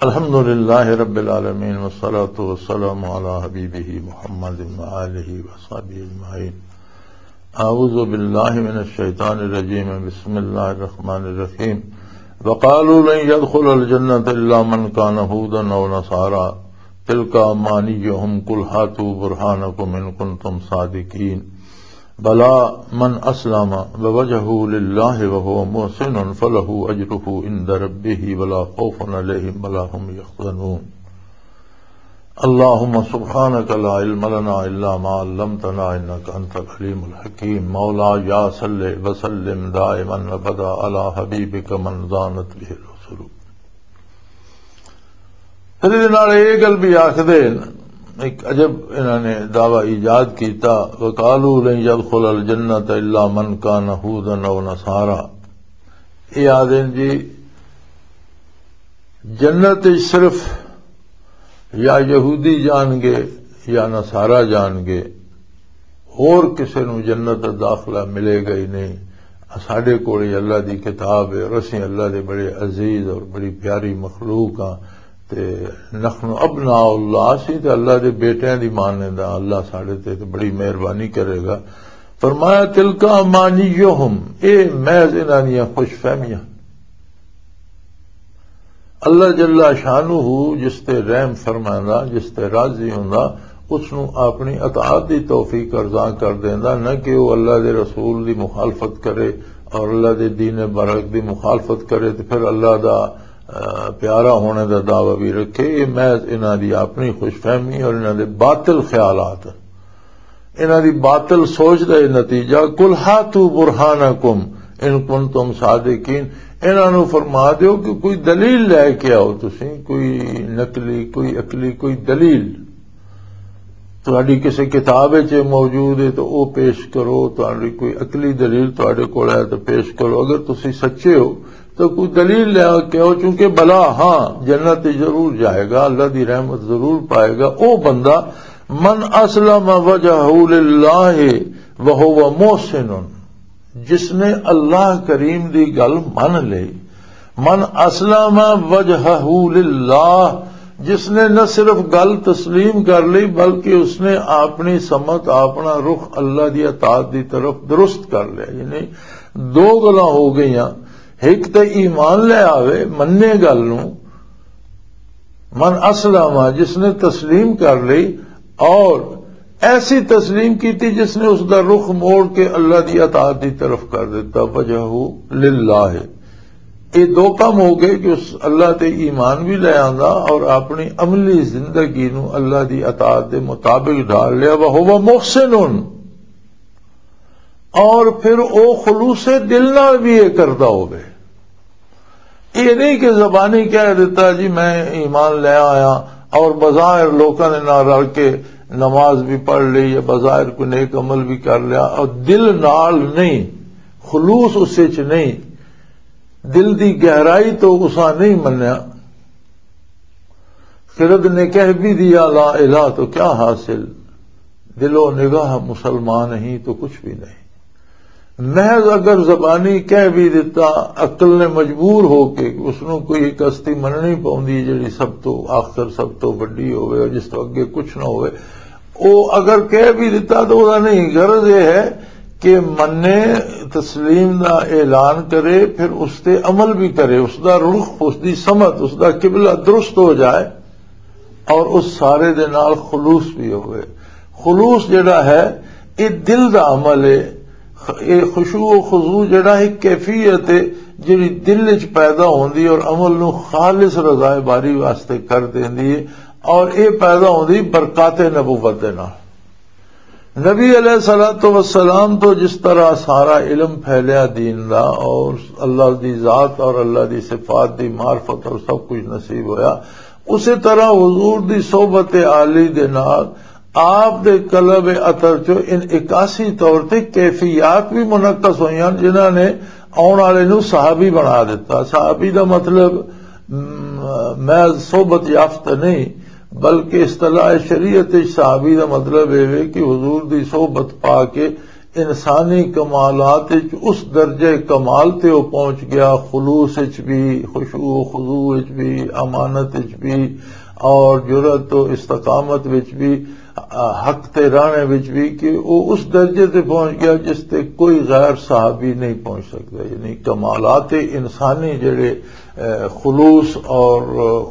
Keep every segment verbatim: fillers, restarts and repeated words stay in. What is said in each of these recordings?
الحمد لله رب العالمين، والصلاة والسلام على حبيبه محمد وآله وصحبه أجمعين. أعوذ بالله من الشيطان الرجيم. بسم الله الرحمن الرحيم. وقالوا لن يدخل الجنة إلا من كان هودا أو نصارى. تلك أمانيهم، قل هاتوا برهانكم إن كنتم صادقين. بلى من أسلم وجهه لله وهو محسن فله أجره عند ربه ولا خوف عليهم ولا هم يحزنون. اللهم سبحانك لا علم لنا إلا ما علمتنا إنك أنت العليم الحكيم. مولاي صل وسلم دائما أبدا على حبيبك من زانت به الرسل. پھر یہ نال یہ گل بھی آخدے ہیں، ایک عجب انہاں نے دعویٰ ایجاد کیتا، وقالوا لن يدخل الجنة إلا من كان هودا أو نصارى. یہ آدھے ہیں جی، جنت وچ صرف یا یہودی جان گے یا نصارہ جان گے، ہور کسے نوں جنت دا داخلہ ملے گا ہی نہیں۔ ساڈے کول ہی اللہ دی کتاب ہے اور اسیں اللہ دے بڑے عزیز اور بڑی پیاری مخلوق ہاں۔ تے نحن ابناء اللہ، اسیں تے اللہ دے بیٹیاں دی ماننے دا، اللہ ساڈے تے تے بڑی مہربانی کرے گا۔ فرمایا، تلک امانیہم، اے محض انہاں دیاں خوش فہمیاں۔ اللہ جل شانہ جس تے رحم فرماندا، جس تے راضی ہوندا، اس نوں اپنی اطاعت دی توفیق ارزاں کر دیندا، نہ کہ وہ اللہ دے رسول دی مخالفت کرے اور اللہ دے دین برحق دی مخالفت کرے تے پھر اللہ دا، آ، پیارا ہونے دا دعویٰ بھی رکھے۔ یہ محض انہاں دی اپنی خوش فہمی اور انہاں دے باطل خیالات۔ انہاں دی باطل سوچ دا یہ نتیجہ۔ قل هاتوا برهانكم إن كنتم صادقين، انہاں نوں فرما دیو کہ کوئی دلیل لے کے آؤ، تسی کوئی نقلی، کوئی عقلی، کوئی دلیل تہاڈی کسے کتاب وچ موجود ہے تو او پیش کرو، تہاڈی کوئی عقلی دلیل تہاڈے کول ہے تو پیش کرو۔ اگر تسی سچے ہو تو کوئی دلیل لے کے آؤ، چونکہ بلا، ہاں، جنت ضرور جائے گا، اللہ دی رحمت ضرور پائے گا او بندہ، من اسلم وجهه لله وهو محسن، جس نے اللہ کریم دی گل من لئی، من اسلم وجهه لله، جس نے نہ صرف گل تسلیم کر لی بلکہ اس نے اپنی سمت، اپنا رخ اللہ دی اطاعت دی طرف درست کر لیا۔ یعنی دو گلاں ہو گئیاں، ایک تے ایمان لے آوے، منے گل نوں، من اسلم، جس نے تسلیم کر لی اور ایسی تسلیم کی تھی جس نے اس دا رخ موڑ کے اللہ دی اطاعت دی طرف کر دیتا، وجهه لله۔ یہ دو کام ہو گئے کہ اس اللہ تے ایمان بھی لے آندا اور اپنی عملی زندگی نو اللہ دی اطاعت دے مطابق ڈھال لیا، وهو محسن، اور پھر او خلوص دل نال بھی یہ کردا ہوے۔ یہ نہیں کہ زبانی کہہ دیتا جی میں ایمان لے آیا اور بظاہر لوکاں دے نال رل کے نماز بھی پڑھ لی یا بظاہر کوئی نیک عمل بھی کر لیا اور دل نال نہیں، خلوص اس وچ نہیں، دل دی گہرائی تو اساں نہیں منیا۔ خرد نے کہہ بھی دیا لا الہ تو کیا حاصل، دل و نگاہ مسلمان ہی تو کچھ بھی نہیں۔ محض اگر زبانی کہہ بھی دیتا، عقل نے مجبور ہو کے، اس نوں کوئی ایک ہستی مننی پوندی جڑی سب تو آخر، سب تو وڈی ہوئے اور جس تو اگے کچھ نہ ہوئے، او اگر کہہ بھی دیتا تو وہ نہیں، غرض یہ ہے کہ منے، تسلیم دا اعلان کرے، پھر اس تے عمل بھی کرے، اس دا رخ، اس دی سمت، اس دا قبلہ درست ہو جائے اور اس سارے دے نال خلوص بھی ہوئے۔ خلوص جڑا ہے، یہ دل دا عمل ہے۔ خ-، یہ خشوع و خضوع جڑا ایک کیفیت ہے جڑی دل وچ پیدا ہوندی اور عمل نو خالص رضائے باری واسطے کر دیندی ہے، اور یہ پیدا ہوندی برکات نبوت دے نال۔ نبی علیہ الصلوۃ والسلام تو جس طرح سارا علم پھیلیا دین دا اور اللہ دی ذات اور اللہ دی صفات دی معرفت اور سب کچھ نصیب ہویا، اسی طرح حضور دی صحبت عالی دے نال آپ دے قلب اطہر چو انعکاسی طور تے کیفیات بھی منعکس ہوئیاں، جنہاں نے آن والے نو صحابی بنا دیتا۔ صحابی دا مطلب، م، محض صحبت یافتہ نہیں، بلکہ اصطلاح شریعت وچ صحابی دا مطلب یہ ہے کہ حضور دی صحبت پا کے انسانی کمالات وچ اس درجے کمال تے وہ پہنچ گیا، خلوص وچ بھی، خشوع و خضوع وچ بھی، امانت وچ بھی، اور جرأت و استقامت وچ بھی، آ، حق تے رانے وچ بھی، کہ وہ اس درجے تے پہنچ گیا جس تے کوئی غیر صحابی نہیں پہنچ سکتا۔ یعنی کمالات انسانی جڑے، اے، خلوص اور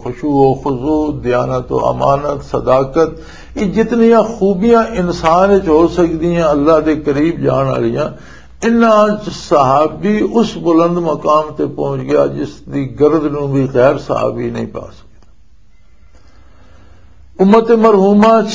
خشوع و خضوع، دیانت و امانت، صداقت، یہ جتنیاں خوبیاں انسان وچ ہو سکدیاں اللہ دے قریب جان والیاں، انہاں وچ صحابی اس بلند مقام تے پہنچ گیا جس دی گرد نوں بھی غیر صحابی نہیں پا سکدا۔ امت مرحومہ چ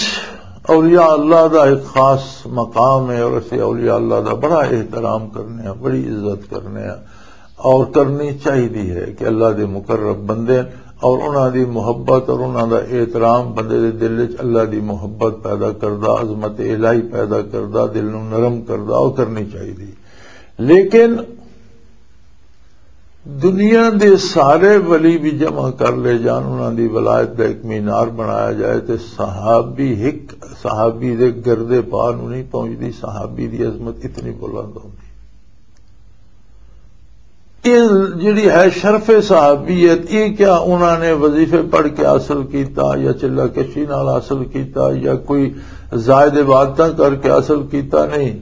اولیاء اللہ دا ایک خاص مقام ہے، اور اسے اولیاء اللہ دا بڑا احترام کرنے ہیں، بڑی عزت کرنے ہیں، اور کرنی چاہیے ہے کہ اللہ دے مقرب بندے اور انہاں دی محبت اور انہاں دا احترام بندے دے دل وچ اللہ دی محبت پیدا کردا، عظمت الہی پیدا کردا، دل نوں نرم کردا، اور کرنی چاہیے۔ لیکن دنیا دے سارے ولی بھی جمع کر لے جان، انہاں دی ولایت دا ایک مینار بنایا جائے، تے صحابی، ایک صحابی دے گردے پا نوں نہیں پہنچدی، صحابی دی عظمت اتنی بلند ہوندی۔ یہ جڑی ہے شرف صحابیت، یہ کیا انہاں نے وظیفے پڑھ کے حاصل کیتا یا چلہ کشی نال حاصل کیتا یا کوئی زائد عبادتاں کر کے حاصل کیتا؟ نہیں۔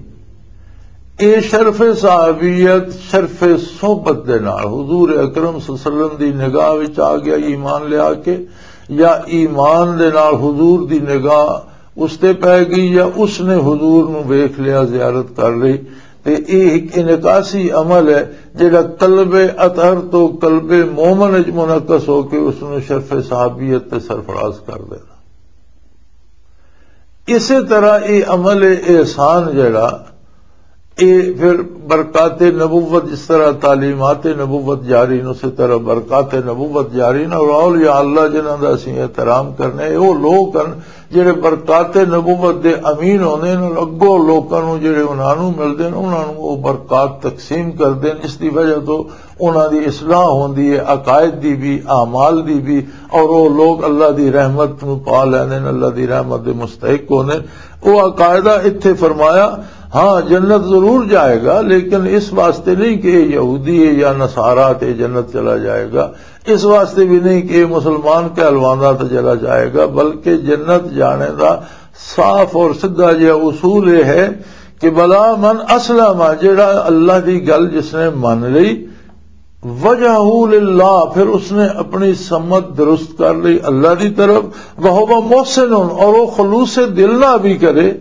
اے شرف صحابیت شرف صحبت دے نال حضور اکرم صلی اللہ علیہ وسلم دی نگاہ وچ آ گیا، ایمان لیا کے، یا ایمان دے نال حضور دی نگاہ اس تے پے گئی، یا اس نے حضور نو ویکھ لیا، زیارت کر لئی۔ تے اے ایک انعکاسی عمل ہے جڑا قلب اطہر تو قلب مومن وچ منعکس ہو کے اس نو شرف صحابیت تے سرفراز کر دینا۔ اسی طرح یہ عمل احسان جڑا، یہ پھر برکات نبوت، جس طرح تعلیمات نبوت جاری نے، اسی طرح برکات نبوت جاری نے۔ اور اولیاء اللہ جنہاں دا اسی احترام کرنے، وہ لوگ ہیں جڑے برکات نبوت دے امین ہوندے نے، اور اگوں لوکاں نوں جڑے انہاں نوں ملدے نے، انہاں نوں وہ برکات تقسیم کردے نے، جس دی وجہ تو انہاں دی اصلاح ہوندی ہے، عقائد دی بھی، اعمال دی بھی، اور وہ لوگ اللہ دی رحمت نو پا لیندے نے، اللہ دی رحمت دے مستحق ہوندے نے۔ وہ عقائدہ اتھے فرمایا، ہاں، جنت ضرور جائے گا، لیکن اس واسطے نہیں کہ یہ یہودی ہے یا نصارہ تے جنت چلا جائے گا، اس واسطے بھی نہیں کہ یہ مسلمان کہلواندا تے چلا جائے گا، بلکہ جنت جانے دا صاف اور سیدھا جہا اصول یہ ہے کہ بلا من اسلم، جڑا اللہ دی گل جس نے من لئی، وجہہ للہ، پھر اس نے اپنی سمت درست کر لی اللہ دی طرف، وہو محسن، اور وہ خلوص دل نہ بھی کرے،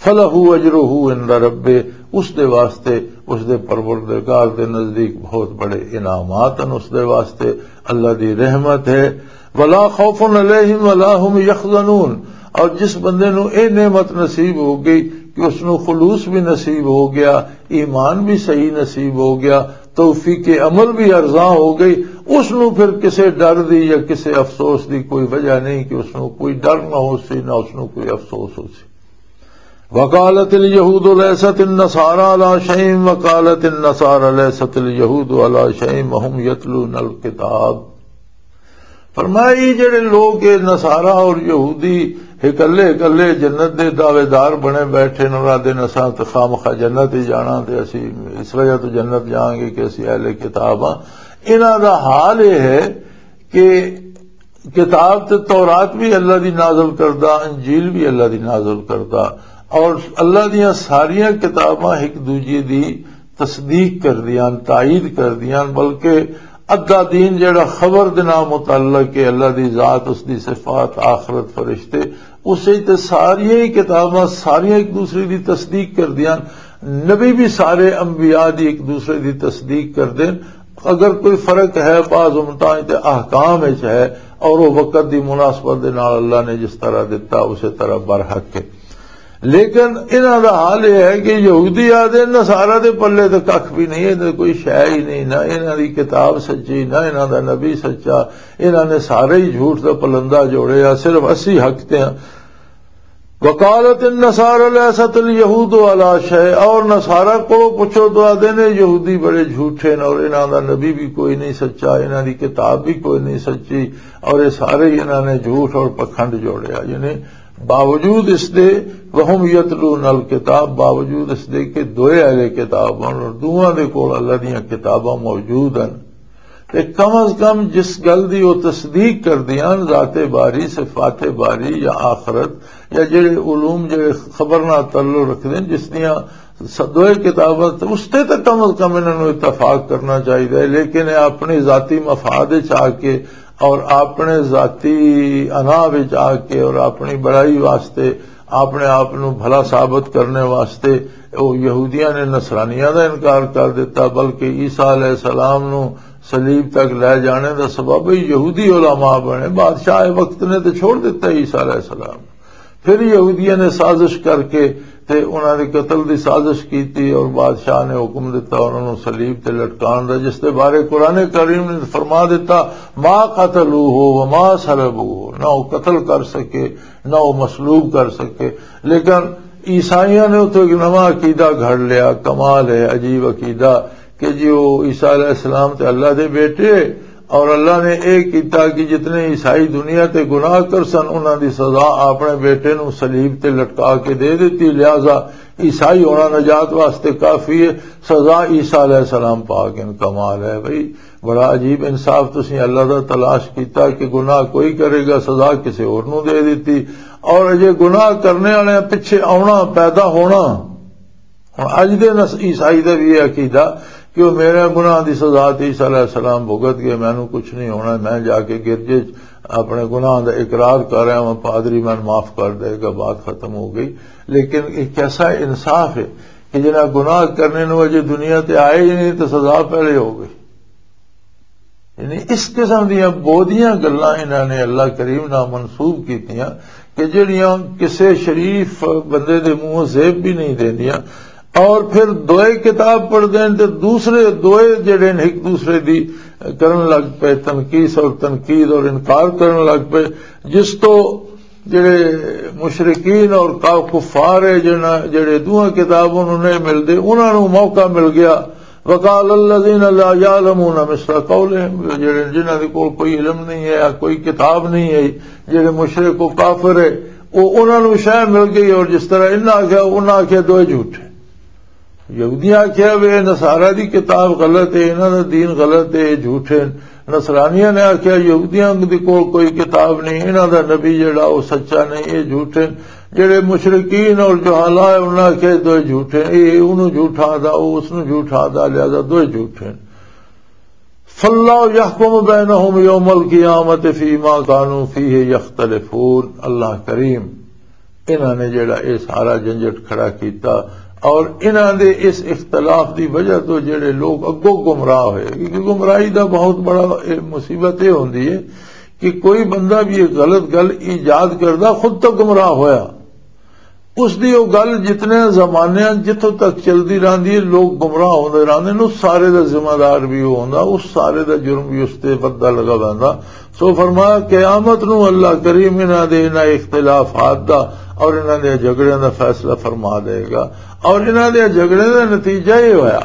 فلہ اجرہ عند ربہ، اس دے واسطے اس دے پروردگار دے نزدیک بہت بڑے انعامات ہیں، اس دے واسطے اللہ دی رحمت ہے۔ ولا خوف علیہم ولا هم یحزنون، اور جس بندے نو اے نعمت نصیب ہو گئی کہ اس نو خلوص بھی نصیب ہو گیا، ایمان بھی صحیح نصیب ہو گیا، توفیق عمل بھی ارزاں ہو گئی، اس نو پھر کسے ڈر دی یا کسے افسوس دی کوئی وجہ نہیں کہ اس نو کوئی ڈر نہ ہو سی، نہ اس نو کوئی افسوس ہو سی۔ وقالت اليهود ليست النصارى على شيء وقالت النصارى ليست اليهود على شيء وهم يتلون الكتاب۔ فرمایا، یہ جڑے لوگ، یہ نصارہ اور یہودی، اکلے اکلے جنت دے دعوے دار بنے بیٹھے نے، اور آدھے نے، "اساں تے خامخواہ جنت ہی جانا، تے اسی اس وجہ تو جنت جاؤں گے کہ اسی اہل کتاب ہاں۔" انہاں دا حال یہ ہے کہ کتاب تے تورات بھی اللہ دی نازل کردہ، انجیل بھی اللہ دی نازل کردہ، اور اللہ دیاں ساریاں کتاباں ایک دوجے دی تصدیق کردیاں، تائید کردیاں، بلکہ ادھا دین جڑا خبر دے نال متعلق ہے، اللہ دی ذات، اس دی صفات، آخرت، فرشتے، اسے تے ساریاں ہی کتاباں ساریاں ایک دوسرے دی تصدیق کردیاں۔ نبی بھی سارے انبیاء دی ایک دوسرے دی تصدیق کردے۔ اگر کوئی فرق ہے، بعض امتاں تے احکام وچ ہے، اور وہ وقت دی مناسبت دے نال اللہ نے جس طرح دتا، اسے طرح برحق ہے۔ لیکن انہاں دا حال یہ ہے کہ یہودی آدھے نصارہ دے پلے تے ککھ بھی نہیں، اے تے کوئی شے ہی نہیں، نہ انہاں دی کتاب سچی، نہ انہاں دا نبی سچا، انہاں نے سارے ہی جھوٹ دا پلندہ جوڑیا، صرف اسی حق تے ہیں۔ وقالت النصارى ليست اليهود على شيء، اور نصارہ کو پوچھو تو آدھے نے یہودی بڑے جھوٹے نے، اور انہاں دا نبی بھی کوئی نہیں سچا، انہاں دی کتاب بھی کوئی نہیں سچی، اور یہ سارے ہی انہاں نے جھوٹ اور پکھنڈ جوڑیا۔ یعنی باوجود اس دے، وَهُمْ يَتْلُونَ الْكِتَابَ، باوجود اس دے کہ دوئے اہل کتاب ہن اور دوواں دے کول اللہ دیاں کتاباں موجود ہن، تے کم از کم جس گل دی وہ تصدیق کردیاں، ذات باری، صفات باری یا آخرت یا جڑے علوم جڑے خبر نال تعلق رکھدے ہیں، جس دیاں س-، دوئے کتاباں تے، اس تے تے کم از کم انہاں نوں اتفاق کرنا چاہیدا ہے، لیکن یہ اپنی ذاتی مفاد وچ آ کے اور اپنے ذاتی انا وچ آ کے اور اپنی بڑائی واسطے، اپنے آپ نوں بھلا ثابت کرنے واسطے، وہ یہودیاں نے نصرانیاں دا انکار کر دیتا، بلکہ عیسیٰ علیہ السلام نوں صلیب تک لے جانے دا سبب یہودی علماء بنے۔ بادشاہ وقت نے تے چھوڑ دیتا عیسیٰ علیہ السلام۔ پھر یہودیاں نے سازش کر کے تے انہاں دے قتل دی سازش کیتی اور بادشاہ نے حکم دیتا انہاں نوں صلیب تے لٹکان دا، جس دے بارے قرآن کریم نے فرما دیتا، "ما قتلوہ وما صلبوہ"، نہ وہ قتل کر سکے، نہ وہ مصلوب کر سکے۔ لیکن عیسائیاں نے اتھوں ایک نواں عقیدہ گھڑ لیا، کمال ہے، عجیب عقیدہ، کہ جی وہ عیسیٰ علیہ السلام تے اللہ دے بیٹے، اور اللہ نے اے کیتا کہ جتنے عیسائی دنیا تے گناہ کر سن، انہاں دی سزا اپنے بیٹے نوں صلیب تے لٹکا کے دے دتی، لہذا عیسائی ہونا نجات واسطے کافی ہے۔ سزا عیسیٰ علیہ السلام پاک ان۔ کمال ہے بھائی، بڑا عجیب انصاف۔ تسی اللہ دا تلاش کیتا کہ گناہ کوئی کرے گا، سزا کسے اور نوں دے دتی، اور اجے گناہ کرنے والے پچھے آنا، پیدا ہونا۔ ہن اج دے نس-، عیسائی دا بھی یہ عقیدہ کہ وہ میرے گناہ دی سزا تے عیسیٰ علیہ السلام بھگت گئے، مینوں کچھ نہیں ہونا، میں جا کے گرجے چ اپنے گناہ دا اقرار کر رہا ہوں، پادری مینوں معاف کر دے گا، بات ختم ہو گئی۔ لیکن یہ کیسا انصاف ہے کہ جنہاں گناہ کرنے نوں اجے دنیا تے آئے ہی نہیں تو سزا پہلے ہو گئی۔ یعنی اس قسم دیاں بہتیاں گلاں انہاں نے اللہ کریم نال منسوب کیتیاں کہ جڑیاں کسے شریف بندے دے منہ زیب بھی نہیں دیندیاں۔ اور پھر دوئے کتاب پڑھدے ہیں تے دوسرے دوئے جڑے نے ایک دوسرے دی کرن لگ پئے، تنقیص اور تنقید اور انکار کرن لگ پئے، جس تو جڑے مشرکین اور کا-، کفار ہے، جنہاں، جڑے دوہاں کتاب انہوں نے ملدے، انہاں نوں موقع مل گیا۔ وقال الذين لا يعلمون مثل قولهم، جڑے، جنہاں دے کول کوئی علم نہیں ہے یا کوئی کتاب نہیں ہے، جڑے مشرک و کافر ہے، وہ انہاں نوں شے مل گئی، اور جس طرح انہاں آکھیا، انہاں آکھیا دوئے جھوٹ ہے۔ یہودیاں آکھیا وے نصارہ دی کتاب غلط ہے، انہاں دا دین غلط ہے، یہ جھوٹ ہے۔ نصرانیاں نے آکھیا یہودیاں دے کول کوئی کتاب نہیں، انہاں دا نبی جڑا وہ سچا نہیں، یہ جھوٹ ہے۔ جڑے مشرکین اور جہالا ہے، انہاں آکھیا دوئے جھوٹ ہے، یہ انہوں جھوٹا دا، وہ اس نوں جھوٹا دا، لہذا دوئے جھوٹ ہے۔ فاللہ یحکم بینہم یوم القیامت فیما کانوا فیہ یختلفون۔ اللہ کریم انہاں نے جڑا یہ سارا جھنجٹ کھڑا کیتا، اور انہاں دے اس اختلاف دی وجہ تو جڑے لوگ اگوں گمراہ ہوئے، کیونکہ گمراہی دا بہت بڑا یہ مصیبت یہ ہوندی ہے کہ کوئی بندہ بھی یہ غلط گل ایجاد کردا، خود تو گمراہ ہویا، اس دی وہ گل جتنے زمانے جتھوں تک چلدی رہندی ہے، لوگ گمراہ ہوندے رہندے نے، اس سارے دا ذمہ دار بھی وہ ہوندا، اس سارے دا جرم بھی اس تے ودھدا لگا ویندا۔ سو فرمایا، قیامت نو اللہ کریم انہاں دے انہاں اختلافات دا اور انہاں دے جھگڑیاں دا فیصلہ فرما دے گا۔ اور انہاں دے جھگڑے دا نتیجہ یہ ہویا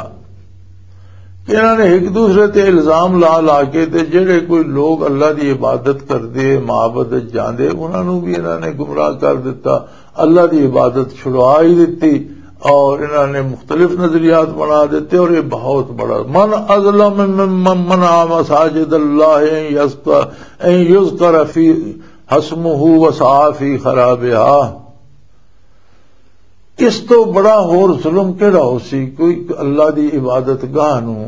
کہ انہاں نے ایک دوسرے تے الزام لا لا کے تے جڑے کوئی لوگ اللہ دی عبادت کردے، معبد وچ جاندے، انہاں نو بھی انہاں نے گمراہ کر دتا، اللہ دی عبادت چھڑوا ہی دتی۔ اور انہاں نے مختلف نظریات بنا دیتے، اور یہ بہت بڑا، من اظلم ممن منع مساجد اللہ ان یذکر، ان یذکر فی اسمہ وسعی فی خرابہا۔ اس تو بڑا ہور ظلم کیڑا ہو سی؟ کوئی اللہ دی عبادت گاہ نو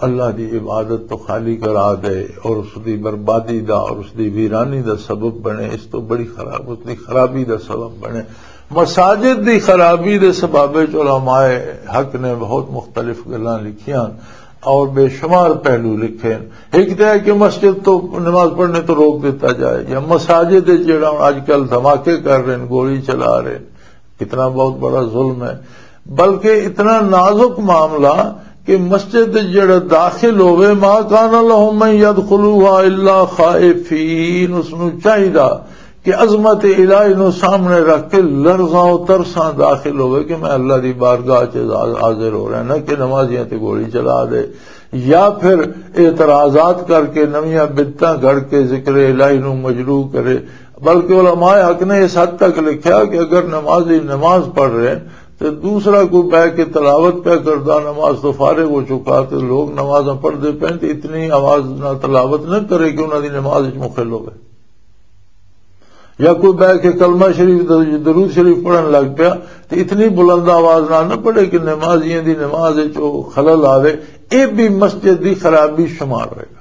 اللہ دی عبادت تو خالی کرا دے اور اس دی بربادی دا اور اس دی ویرانی دا سبب بنے، اس تو بڑی خراب، اس دی خرابی دا سبب بنے۔ مساجد دی خرابی دے سبب وچ علماء حق نے بہت مختلف گلاں لکھیاں اور بے شمار پہلو لکھے۔ ایک تو ہے کہ مسجد تو نماز پڑھنے تو روک دیتا جائے، یا مساجد وچ جڑا ہن اج کل دھماکے کر رہے ہیں، گولی چلا رہے ہیں، کتنا بہت بڑا ظلم ہے۔ بلکہ اتنا نازک معاملہ کہ مسجد وچ جڑا داخل ہوئے، ما کان لهم ان يدخلوها الا خائفین، اس نو چاہیدا کہ عظمت الہی نو سامنے رکھ کے لرزاں و ترساں داخل ہوئے کہ میں اللہ دی بارگاہ چ حاضر ہو رہا، نہ کہ نمازیاں تے گولی چلا دے۔ یا پھر اعتراضات کر کے، نویاں بدعتاں گھڑ کے ذکر الہی نو مجروح کرے۔ بلکہ علماء حق نے اس حد تک لکھیا کہ اگر نمازی نماز پڑھ رہے ہیں تو دوسرا کوئی بہ کے تلاوت پہ کردا، نماز تو فارغ ہو چکا، تو لوگ نمازاں پڑھتے پے تو اتنی آواز نہ، تلاوت نہ کرے کہ انہاں دی نماز وچ مخل ہوئے۔ یا کوئی بہ کے کلمہ شریف، درود شریف پڑھن لگ پیا، تو اتنی بلند آواز نہ نہ پڑھے کہ نمازیاں دی نماز وچ او خلل آوے۔ اے بھی مسجد دی خرابی شمار ہوئے گا۔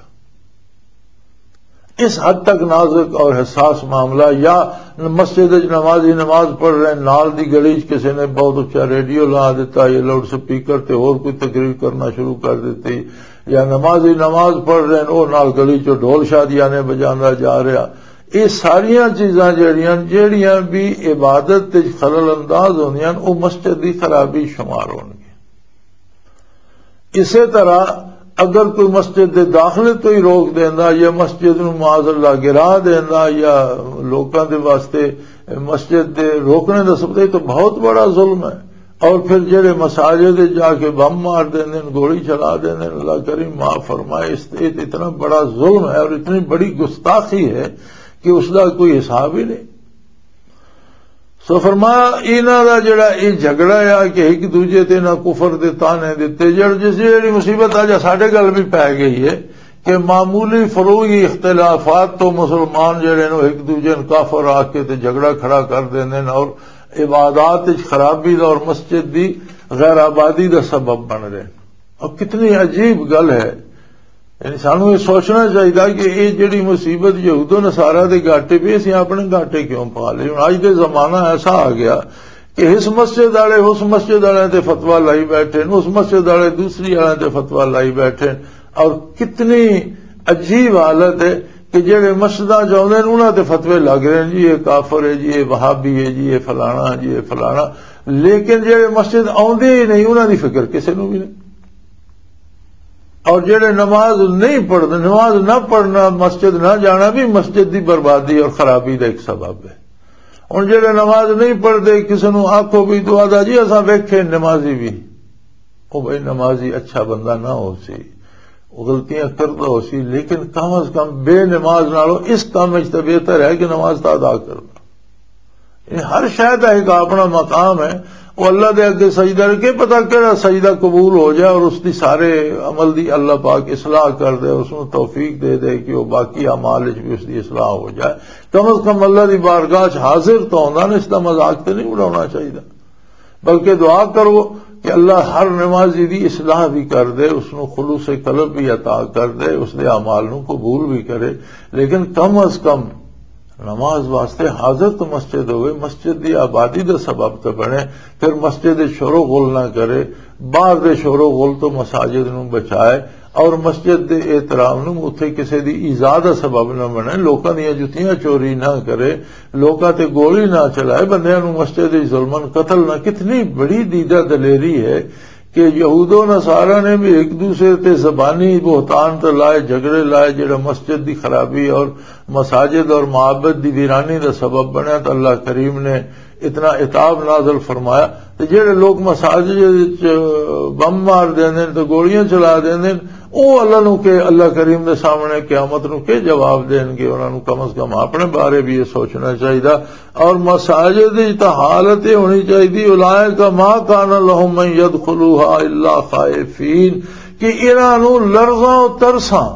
اس حد تک نازک اور حساس معاملہ۔ یا مسجد وچ نمازی نماز پڑھ رہے ہیں، نال دی گلی وچ کسی نے بہت اچھا ریڈیو لا دیتا یا لاؤڈ سپیکر تے ہور کوئی تقریر کرنا شروع کر دیتی، یا نمازی نماز پڑھ رہے ہیں، او نال گلی چ ڈھول شادیانے بجاندا جا رہا۔ یہ ساریاں چیزاں جڑیاں، جڑیاں بھی عبادت وچ خلل انداز ہوندیاں، او مسجد دی خرابی شمار ہونگی۔ اسی طرح اگر کوئی مسجد دے داخلے تو ہی روک دیندا یا مسجد نو معاذ اللہ گرا دیندا یا لوکاں دے واسطے مسجد دے روکنے دا سبب، یہ تو بہت بڑا ظلم ہے۔ اور پھر جڑے مساجد جا کے بم مار دیندے نے، گولی چلا دیندے نے، اللہ کریم معاف فرمائے، اس، یہ تو اتنا بڑا ظلم ہے اور اتنی بڑی گستاخی ہے کہ اس دا کوئی حساب ہی نہیں۔ سو فرمایا، انہاں دا جڑا یہ جھگڑا ہے کہ ایک دوجے تے نہ کفر دے تانے دتے، جڑ جس جڑی مصیبت آ جا ساڈے گل بھی پی گئی ہے کہ معمولی فروعی اختلافات تو مسلمان جڑے نو ایک دوجے نو کافر آ کے تے جھگڑا کھڑا کر دیندے نے اور عبادات وچ خرابی دا اور مسجد دی غیر آبادی دا سبب بن رہے ہیں۔ اور کتنی عجیب گل ہے۔ یعنی سانوں یہ سوچنا چاہیے کہ یہ جڑی مصیبت یہود و نصارہ دے گاٹے پہ، اسی اپنے گاٹے کیوں پا لے؟ ہن اج دے زمانہ ایسا آ گیا کہ اس مسجد والے اس مسجد والے تے فتویٰ لائی بیٹھے نے، اس مسجد والے دوسری والے تے فتویٰ لائی بیٹھے نے۔ اور کتنی عجیب حالت ہے کہ جڑے مسجداں چ آؤندے نے، انہاں تے فتوے لگ رہے ہیں، جی یہ کافر ہے، جی یہ وہابی ہے، جی یہ فلانا، جی یہ فلانا۔ لیکن جڑے مسجد آؤندے ہی نہیں، انہاں دی فکر کسے نوں بھی نہیں۔ اور جڑے نماز نہیں پڑھتے، نماز نہ پڑھنا، مسجد نہ جانا بھی مسجد دی بربادی اور خرابی دا ایک سبب ہے۔ ہن جڑے نماز نہیں پڑھتے، کسے نوں آکھو بھی تو آدھا جی اساں ویکھے نمازی بھی، او بھائی نمازی اچھا بندہ نہ ہو سی، وہ غلطیاں کرتا ہو سی، لیکن کم از کم بے نماز نالوں اس کام وچ تے بہتر ہے کہ نماز تا ادا کرنا۔ یہ ہر شے دا ایک اپنا مقام ہے۔ وہ اللہ دے اگے سجدہ رکھے، پتہ کہڑا سجدہ قبول ہو جائے اور اس دی سارے عمل دی اللہ پاک اصلاح کر دے، اس نوں توفیق دے دے کہ وہ باقی اعمال وچ بھی اس دی اصلاح ہو جائے۔ کم از کم اللہ دی بارگاہ چ حاضر تو ہوندا نا، اس دا مذاق تے نہیں اڑانا چاہیے۔ بلکہ دعا کرو کہ اللہ ہر نمازی دی اصلاح بھی کر دے، اس نوں خلوص قلب بھی عطا کر دے، اس دے اعمال نوں قبول بھی کرے۔ لیکن کم از کم نماز واسطے حاضر تو مسجد ہوئے، مسجد دی آبادی دا سبب تو بنے، پھر مسجد دے شور و غل نہ کرے، باہر دے شور و غل تو مساجد نوں بچائے، اور مسجد دے احترام نوں اتھے کسے دی ایذا دا سبب نہ بنے، لوکاں دیاں جتیاں چوری نہ کرے، لوکاں تے گولی نہ چلائے، بندیاں نوں مسجد وچ ظلمن قتل نہ۔ کتنی بڑی دیدہ دلیری ہے کہ یہود و نصارہ نے بھی ایک دوسرے تے زبانی بہتان تے لائے، جھگڑے لائے، جڑا مسجد دی خرابی اور مساجد اور معابد دی ویرانی دا سبب بنیا، تو اللہ کریم نے اتنا عتاب نازل فرمایا۔ تے جڑے لوگ مساجد وچ بم مار دیندے نے تے گولیاں چلا دیندے نے، او اللہ نو کہ، اللہ کریم دے سامنے قیامت نو کہ جواب دین گے؟ انہاں نو کم از کم اپنے بارے بھی یہ سوچنا چاہیے۔ اور مساجد وچ تاں حالت یہ ہونی چاہیے، اولئک ما کان لهم ان یدخلوها الا خائفین، کہ انہاں نو لرزاں و ترساں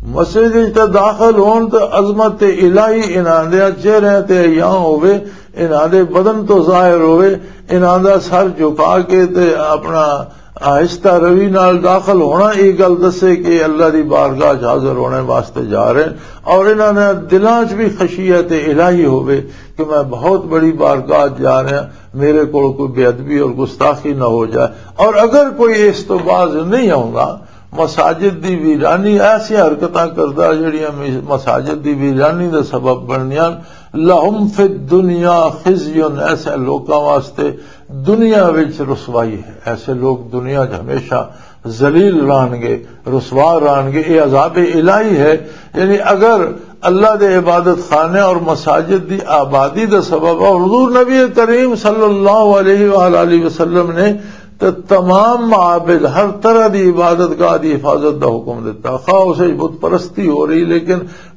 مسجد وچ تے داخل ہون تے عظمت الہی انہاں دے چہرے تے عیاں ہوے، انہاں دے بدن تو ظاہر ہوے، انہاں دا سر جھکا کے تے اپنا آہستہ روی نال داخل ہونا، یہ گل دسے کہ اللہ دی بارگاہ چ حاضر ہونے واسطے جا رہے ہیں۔ اور انہاں دے دلاں چ بھی خشیت الہی ہوے کہ میں بہت بڑی بارگاہ چ جا رہا، میرے کول کوئی بے ادبی اور گستاخی نہ ہو جائے۔ اور اگر کوئی اس تو باز نہیں آوندا، مساجد دی ویرانی، ایسی حرکتاں کردا جڑیاں می-، مساجد دی ویرانی دا سبب بننیاں، لہم فی الدنیا خزی، ایسے لوکاں واسطے دنیا وچ رسوائی ہے۔ ایسے لوگ دنیا چ ہمیشہ ذلیل رہن گے، رسوا رہن گے۔ یہ عذاب الہی ہے۔ یعنی اگر اللہ دے عبادت خانے اور مساجد دی آبادی دا سبب ہے، حضور نبی کریم صلی اللہ علیہ وآلہ وسلم نے تے تمام معابد، ہر طرح دی عبادت گاہ دی حفاظت دا حکم دتا۔ خواہ اسے بت پرستی ہو رہی، لیکن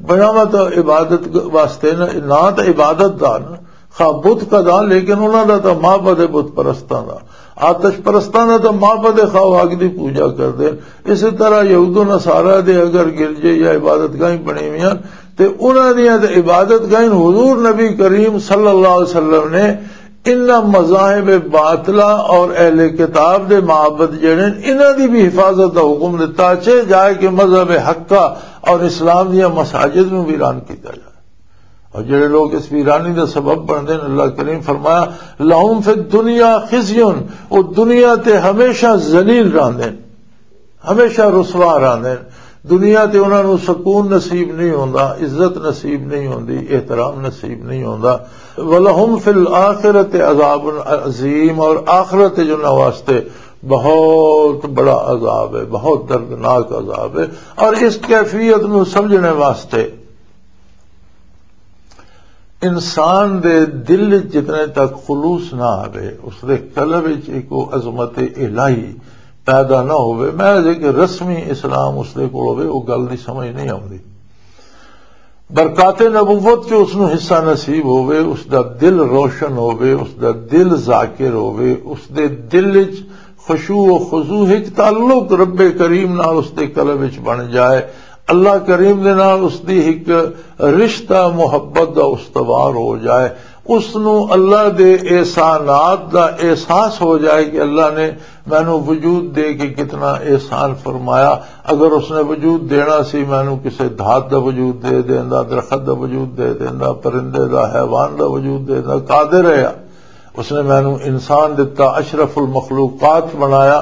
بناوت عبادت واسطے نہ، نہ تے عبادت دا نہ، خواہ بت کا دا، لیکن انہاں دا تاں معبد ہے بت پرستاں دا۔ آتش پرستاں دا تاں معبد ہے، خواہ اگ دی پوجا کردے۔ اسی طرح یہود و نصارہ دے اگر گرجے یا عبادت گاہیں بنی ہوئی ہیں، تے انہاں دیاں تے عبادت گاہیں، حضور نبی کریم صلی اللہ علیہ وسلم نے انہاں مذاہب باطلہ اور اہل کتاب دے معبد جڑے ہیں، انہاں دی بھی حفاظت دا حکم دتا، چاہے جائے کہ مذہب حق کا اور اسلام دیاں مساجد نوں ویران کیتا جائے۔ اور جڑے لوگ اس ویرانی دا سبب بندے ہیں، اللہ کریم فرمایا، "لہم فی الدنیا خزی"، وہ دنیا تے ہمیشہ ذلیل رہندے ہیں، ہمیشہ رسوا رہندے ہیں۔ دنیا تے انہاں نوں سکون نصیب نہیں ہوندا، عزت نصیب نہیں ہوندی، احترام نصیب نہیں ہوندا۔ "ولہم فی الآخرۃ عذاب عظیم"، اور آخرت جو انہاں واسطے بہت بڑا عذاب ہے، بہت دردناک عذاب ہے۔ اور اس کیفیت نوں سمجھنے واسطے انسان دے دل وچ جتنے تک خلوص نہ آوے، اس دے قلب وچ ایک وہ عظمت الہی پیدا نہ ہوئے، محض ایک رسمی اسلام اس دے کول ہوئے، وہ گل دی سمجھ نہیں آوندی۔ برکات نبوت جو اس نو حصہ نصیب ہوئے، اس دا دل روشن ہوئے، اس دا دل ذاکر ہوئے، اس دے دل وچ خشوع و خضوع، ایک تعلق رب کریم نال اس دے قلب وچ بن جائے، اللہ کریم دے نال اس دی ایک رشتہ محبت دا استوار ہو جائے، اس نو اللہ دے احسانات دا احساس ہو جائے کہ اللہ نے مینوں وجود دے کے کتنا احسان فرمایا۔ اگر اس نے وجود دینا سی، مینوں کسے دھات دا وجود دے دیندا، درخت دا وجود دے دیندا، پرندے دا، حیوان دا وجود دے دیندا، قادر ہے۔ اس نے مینوں انسان دتا، اشرف المخلوقات بنایا۔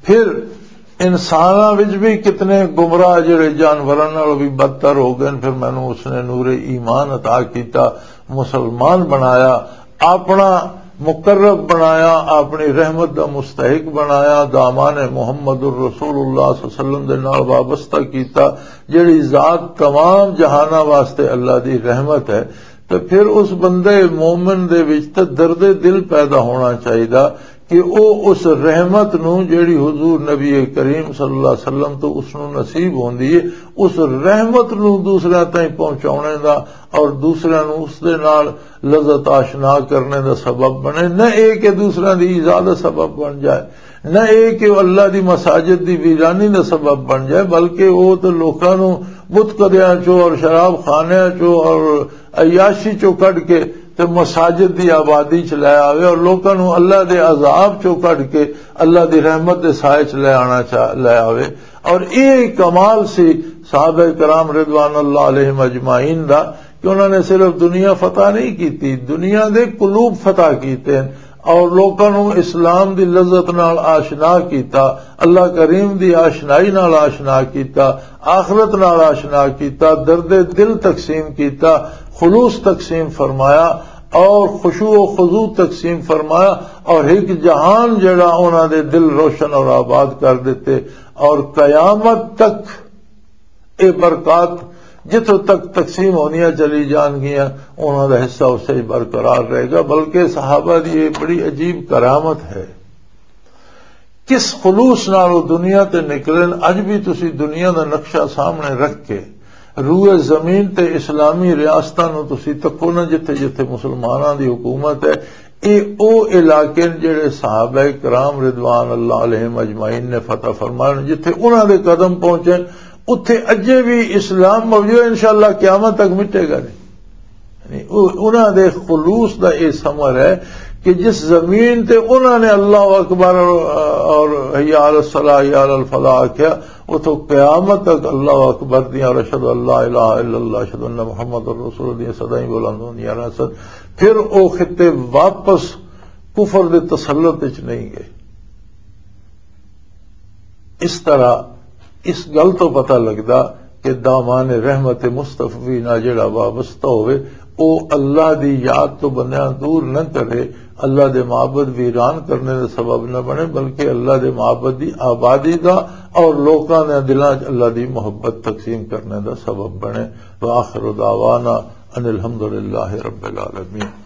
پھر انساناں وچ بھی کتنے گمراہ جڑے جانوراں نال بھی بدتر ہو گئے، پھر مینوں اس نے نور ایمان عطا کیتا، مسلمان بنایا، اپنا مقرب بنایا، اپنی رحمت دا مستحق بنایا، دامان محمد الرسول اللہ صلی اللہ علیہ وسلم دے نال وابستہ کیتا، جڑی ذات تمام جہاناں واسطے اللہ دی رحمت ہے۔ تے پھر اس بندے مومن دے وچ تے درد دل پیدا ہونا چاہیدا کہ او اس رحمت نو، جڑی حضور نبی کریم صلی اللہ علیہ وسلم تو اس نو نصیب ہوندی ہے، اس رحمت نو دوسرے تائیں پہنچاونے دا اور دوسرے نو اس دے نال لذت آشنا کرنے دا سبب بنے، نہ اے کہ دوسرے دی ایذا دا سبب بن جائے، نہ اے کہ او اللہ دی مساجد دی ویرانی دا سبب بن جائے، بلکہ او تے لوکاں نو بت کدیاں چوں اور شراب خانیاں چوں اور عیاشی چوں کڈ کے تے مساجد دی آبادی چ لے آوے اور لوکاں نو اللہ دے عذاب چوں کڈ کے اللہ دی رحمت دے سائے چ لے آنا چا-، لے آوے۔ اور یہ کمال سی صحابہ کرام رضوان اللہ علیہم اجمعین دا کہ انہوں نے صرف دنیا فتح نہیں کیتی، دنیا دے قلوب فتح کیتے ہیں اور لوکاں نو اسلام دی لذت نال آشنا کیتا، اللہ کریم دی آشنائی نال آشنا کیتا، آخرت نال آشنا کیتا، درد دل تقسیم کیتا، خلوص تقسیم فرمایا اور خشوع و خضوع تقسیم فرمایا اور ایک جہان جڑا انہاں دے دل روشن اور آباد کر دیتے اور قیامت تک اے برکات جتھوں تک تقسیم ہونیاں چلی جان گیاں، انہاں دا حصہ اسے ہی برقرار رہے گا۔ بلکہ صحابہ دی یہ بڑی عجیب کرامت ہے، کس خلوص نال وہ دنیا تے نکلن۔ اج بھی تسی دنیا دا نقشہ سامنے رکھ کے روئے زمین تے اسلامی ریاستاں نو تسی تکو نہ، جتھے جتھے مسلماناں دی حکومت ہے، اے او علاقے نے جڑے صحابہ کرام رضوان اللہ علیہم اجمعین نے فتح فرمائے، جتھے انہاں دے قدم پہنچے، اتھے اجے بھی اسلام موجود ہے، انشاءاللہ قیامت تک مٹے گا نہیں۔ یعنی او-، انہاں دے خلوص دا اے ثمر ہے کہ جس زمین تے انہاں نے اللہ اکبر اور حی علی الصلاح، حی علی الفلاح آکھیا، اتھوں قیامت تک اللہ اکبر دیاں اور اشہد ان لا الہ الا اللہ، اشہد ان محمد رسول دیاں صدائیں بلند ہوندیاں رہسن۔ پھر او خطے واپس کفر دے تسلط وچ نہیں گئے۔ اس طرح اس گل تو پتہ لگدا کہ دامان رحمت مصطفی نال جڑا وابستہ ہوئے، او اللہ دی یاد تو بندیاں دور نہ کرے، اللہ دے معبد ویران کرنے دا سبب نہ بنے، بلکہ اللہ دے معبد دی آبادی دا اور لوکاں دے دلاں 'چ اللہ دی محبت تقسیم کرنے دا سبب بنے۔ وآخر دعوانا ان الحمدللہ رب العالمین۔